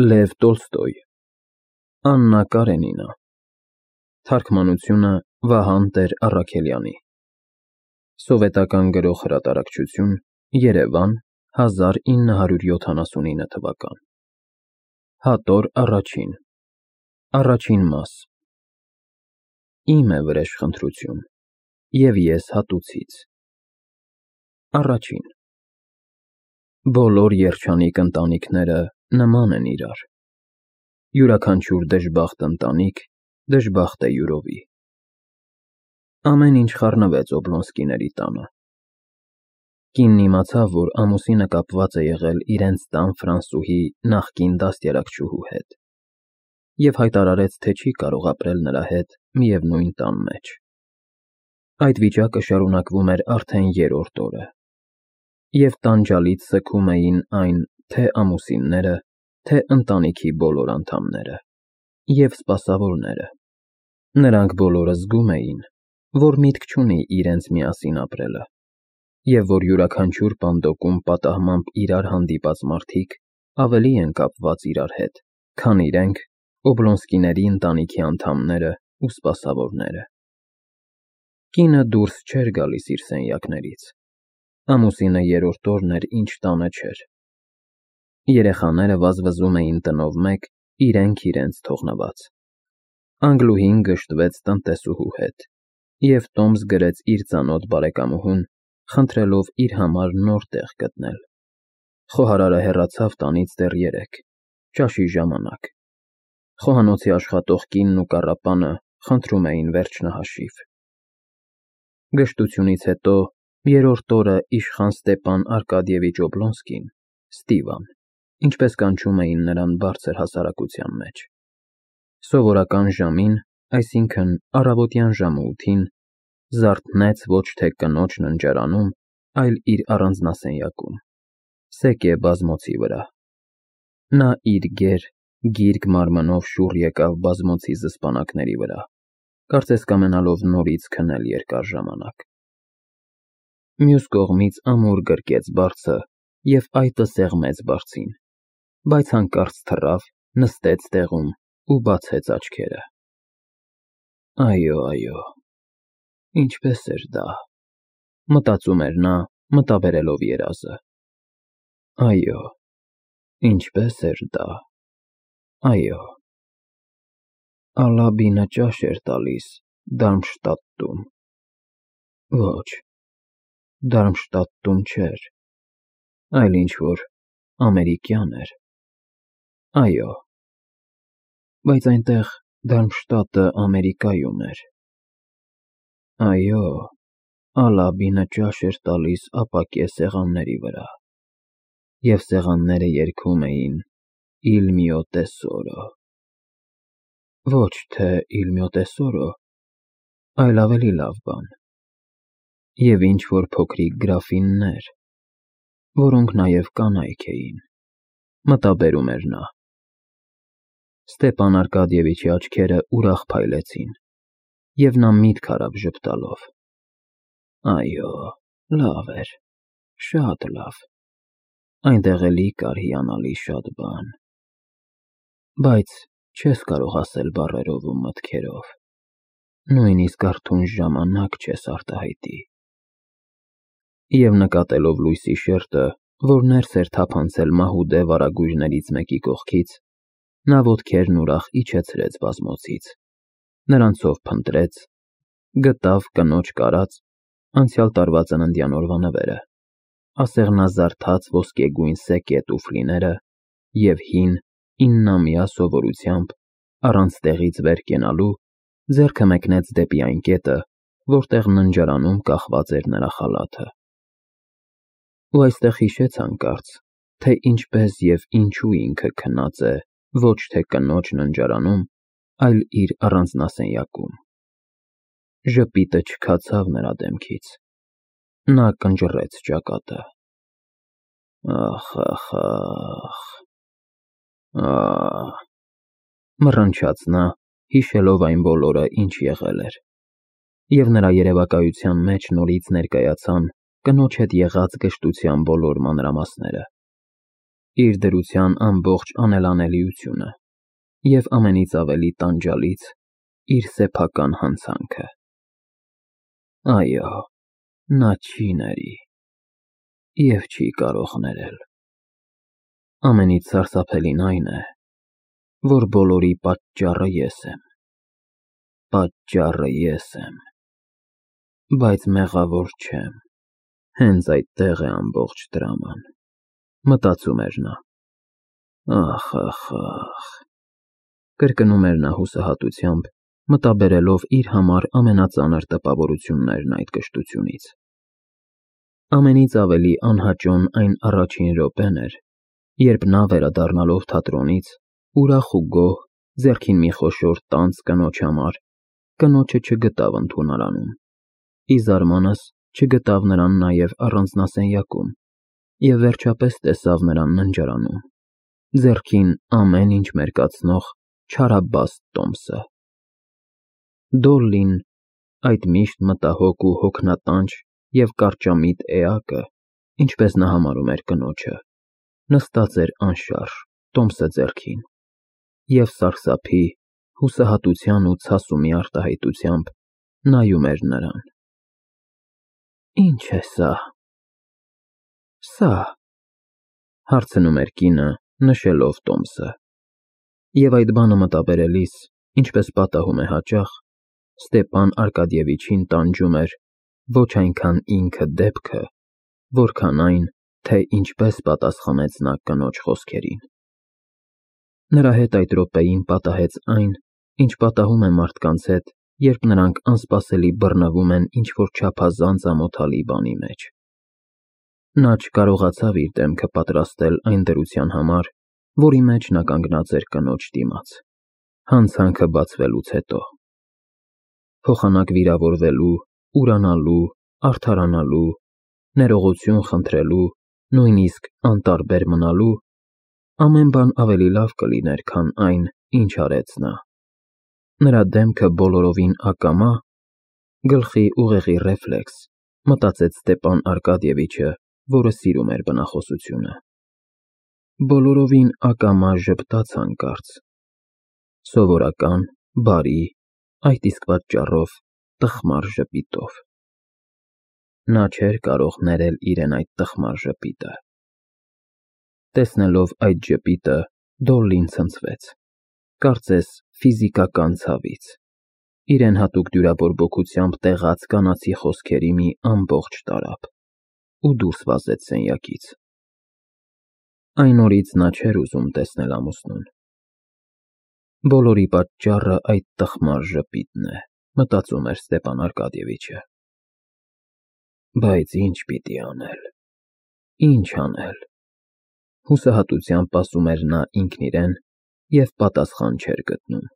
Լև Տոլստոյ, Աննա Կարենինա, թարգմանությունը Վահան Տեր-Առաքելյանի, սովետական գրող հրատարակչություն, Երևան, 1979 թվական, հատոր առաջին, առաջին մաս, իմ է վրեժխնդրություն, և ես հատուցից, առաջին, բոլոր երջանիկ ընտանիքները նման են իրար, յուրաքանչյուր դժբախտ ընտանիք դժբախտ է յուրովի, ամեն ինչ խառնվեց Օբլոնսկիների տանը, կինն իմացավ, որ ամուսինը կապված է եղել իրենց տան Ֆրանսուհի նախկին դաստիարակչուհու հետ և հայտարարեց, թե չի կարող ապրել նրա հետ միևնույն տան մեջ, այդ վիճակը շարունակվում էր արդեն երրորդ օրը, և տանջալից սգում էին այն թե ամուսինները, թե ընտանիքի բոլոր անդամները և սպասավորները, նրանք բոլորը զգում էին, որ միտք չունի իրենց միասին ապրելը, և որ յուրաքանչյուր պանդոկում պատահմամբ իրար հանդիպած մարդիկ ավելի են կապված իրար հետ, քան իրենք Օբլոնսկիների ընտանիքի անդամները ու սպասավորները, կինը դուրս չէր գալիս իր սենյակներից, ամուսինը երրորդ օրն էր, ինչ տանը չէր, երեխաները վազվզում էին տնով մեկ, իրենք իրենց թողնված, Անգլուհին գժտվեց տնտեսուհու հետ, և տոմս գրեց իր ծանոթ բարեկամուհուն, խնդրելով իր համար նոր տեղ գտնել, խոհարարը հեռացավ տանից դեռ երեկ, ճաշի ժամանակ, խոհանոցի աշխատող կինն ու կառապանը խնդրում էին վերջնահաշիվ, գժտությունից հետո երրորդ օրը իշխան Ստեպան Արկադիևիչ Օբլոնսկին, Ստիվան, ինչպես կանչում էին նրան բարձր հասարակության մեջ, սովորական ժամին, այսինքն առավոտյան ժամը 8-ին, զարթնեց ոչ թե կնոջ ննջարանում, այլ իր առանձնասենյակում, սեկե բազմոցի վրա, նա իր գեր, գիրկ մարմնով շուռ եկավ բազմոցի զսպանակների վրա, կարծես կամենալով նորից քնել երկար ժամանակ, մյուս կողմից ամուր գրկեց բարձը և այտը սեղմեց բարձին, բայց հանկարծ թռավ, նստեց տեղում ու բացեց աչքերը, այո, ինչպես էր դա, մտածում էր նա, մտաբերելով երազը, այո, ինչպես էր դա, այո, Ալաբինը ճաշ էր տալիս Դարմշտադտում, ոչ, Դարմշտադտում չէր, այլ ինչ-որ ամերիկյան էր, այո, բայց այնտեղ Դարմշտադտը Ամերիկայում էր, այո, Ալաբինը ճաշ էր տալիս ապակե սեղանների վրա, և սեղանները երգում էին «Il mio tesoro», ոչ թե «Il mio tesoro», այլ ավելի լավ բան, և ինչ-որ փոքրիկ գրաֆիններ, որոնք նաև կանայք էին, մտաբերում էր նա, Ստեպան Արկադիևիչի աչքերը ուրախ փայլեցին, և նա միտք արավ ժպտալով, այո, լավ էր, շատ լավ, այնտեղ էլի կար հիանալի շատ բան, բայց չես կարող ասել բառերով ու մտքերով, նույնիսկ արթուն ժամանակ չես արտահայտի, և նկատելով լույսի շերջը, որ ներս էր թափանցել մահուդե վարագույրներից մեկի կողքից, նա ոտքերն ուրախ իջեցրեց բազմոցից, նրանցով փնտրեց, գտավ կնոջ կարած, անցյալ տարվա ծննդյան օրվա նվերը, ասեղնազարդած ոսկեգույն սեկե տուֆլիները և հին, 9-ամյա սովորությամբ, առանց տեղից վեր կենալու, ձեռքը մեկնեց դեպի այն կետը, որտեղ ննջարանում կախված էր նրա խալաթը, ու այստեղ հիշեց հանկարծ, թե ինչպես և ինչու ինքը քնած է ոչ թե կնոջ ննջարանում, այլ իր առանձնասենյակում, ժպիտը չքացավ նրա դեմքից, նա կնճռեց ճակատը, ախ, մռնչաց նա, հիշելով այն բոլորը, ինչ եղել էր, և նրա երևակայության մեջ նորից ներկայացան կնոջ հետ եղած գժտության բոլոր մանրամասները, իր դրության ամբողջ անելանելիությունը և ամենից ավելի տանջալից իր սեփական հանցանքը։ Այո, նա չի ների և չի կարող ներել։ Ամենից սարսափելին այն է, որ բոլորի պատճառը ես եմ։ Պատճառը ես եմ, բայց մեղավոր չեմ։ Հենց այդտեղ է ամբողջ դրաման, մտածում էր նա։ Ախ, կրկնում էր նա հուսահատությամբ, մտաբերելով իր համար ամենածանր տպավորություններն այդ կշտությունից։ Ամենից ավելի անհաճոն այն առաջին րոպեն էր, երբ նա վերադառնալով թատրոնից, ուրախ ու գոհ, ձեռքին մի խոշոր տանձ կնոջ համար, կնոջը չգտավ ընդունարանում, ի զարմանս չգտավ նրան նաև առանձնասենյակում և վերջապես տեսավ նրան ննջարանում, ձեռքին ամեն ինչ մերկացնող չարաբաստ տոմսը։ Դոլլին, այդ միշտ մտահոգ ու հոգնատանջ և կարճամիտ էակը, ինչպես նա համարում էր կնոջը, նստած էր անշարժ, տոմսը ձեռքին, և սարսափի, հուսահատության ու ցասումի արտահայտությամբ նայում էր նրան։ Ի՞նչ է սա։ Սա, հարցնում էր կինը, նշելով տոմսը։ Եվ այդ բանը մտաբերելիս, ինչպես պատահում է հաճախ, Ստեփան Արկադիևիչին տանջում էր ոչ այնքան ինքը դեպքը, որքան այն, թե ինչպես պատասխանեց նա կնոջ խոսքերին։ Նրա հետ այդ րոպեին պատահեց այն, ինչ պատահում է մարդկանց հետ, երբ նրանք անսպասելի բռնվում են ինչ-որ չափազանց ամոթալի բանի մեջ։ Նա չկարողացավ իր դեմքը պատրաստել այն դրության համար, որի մեջ նա կանգնած էր կնոջ դիմաց, հանցանքը բացվելուց հետո։ Փոխանակ վիրավորվելու, ուրանալու, արդարանալու, ներողություն խնդրելու, նույնիսկ անտարբեր մնալու, ամեն բան ավելի լավ կլիներ, քան այն, ինչ արեց նա։ Նրա դեմքը բոլորովին ակամա, գլխի ուղեղի ռեֆլեքս, մտածեց Ստեփան Արկադիևիչը, որը սիրում էր բնախոսությունը։ Բոլորովին ակամա ժպտաց հանկարծ, սովորական, բարի, այդ իսկ պատճառով տխմար ժպիտով։ Նա չէր կարող ներել իրեն այդ տխմար ժպիտը։ Տեսնելով այդ ժպիտը, Դոլլին ցնցվեց, կարծես ֆիզիկական ցավից, իրեն հատուկ դյուրաբորբոքությամբ տեղած կանացի խոսքերի մի ամբողջ տարափ, ու դուրս վազեց սենյակից։ Այն օրից նա չէր ուզում տեսնել ամուսնուն։ Բոլորի պատճառը այդ տխմար ժպիտն է, մտածում էր Ստեփան Արկադիևիչը։ Բայց ինչ պիտի անել, ինչ անել։ Հուսահատությամբ ասում էր նա ինքն իրեն և պատասխան չէր գտնում։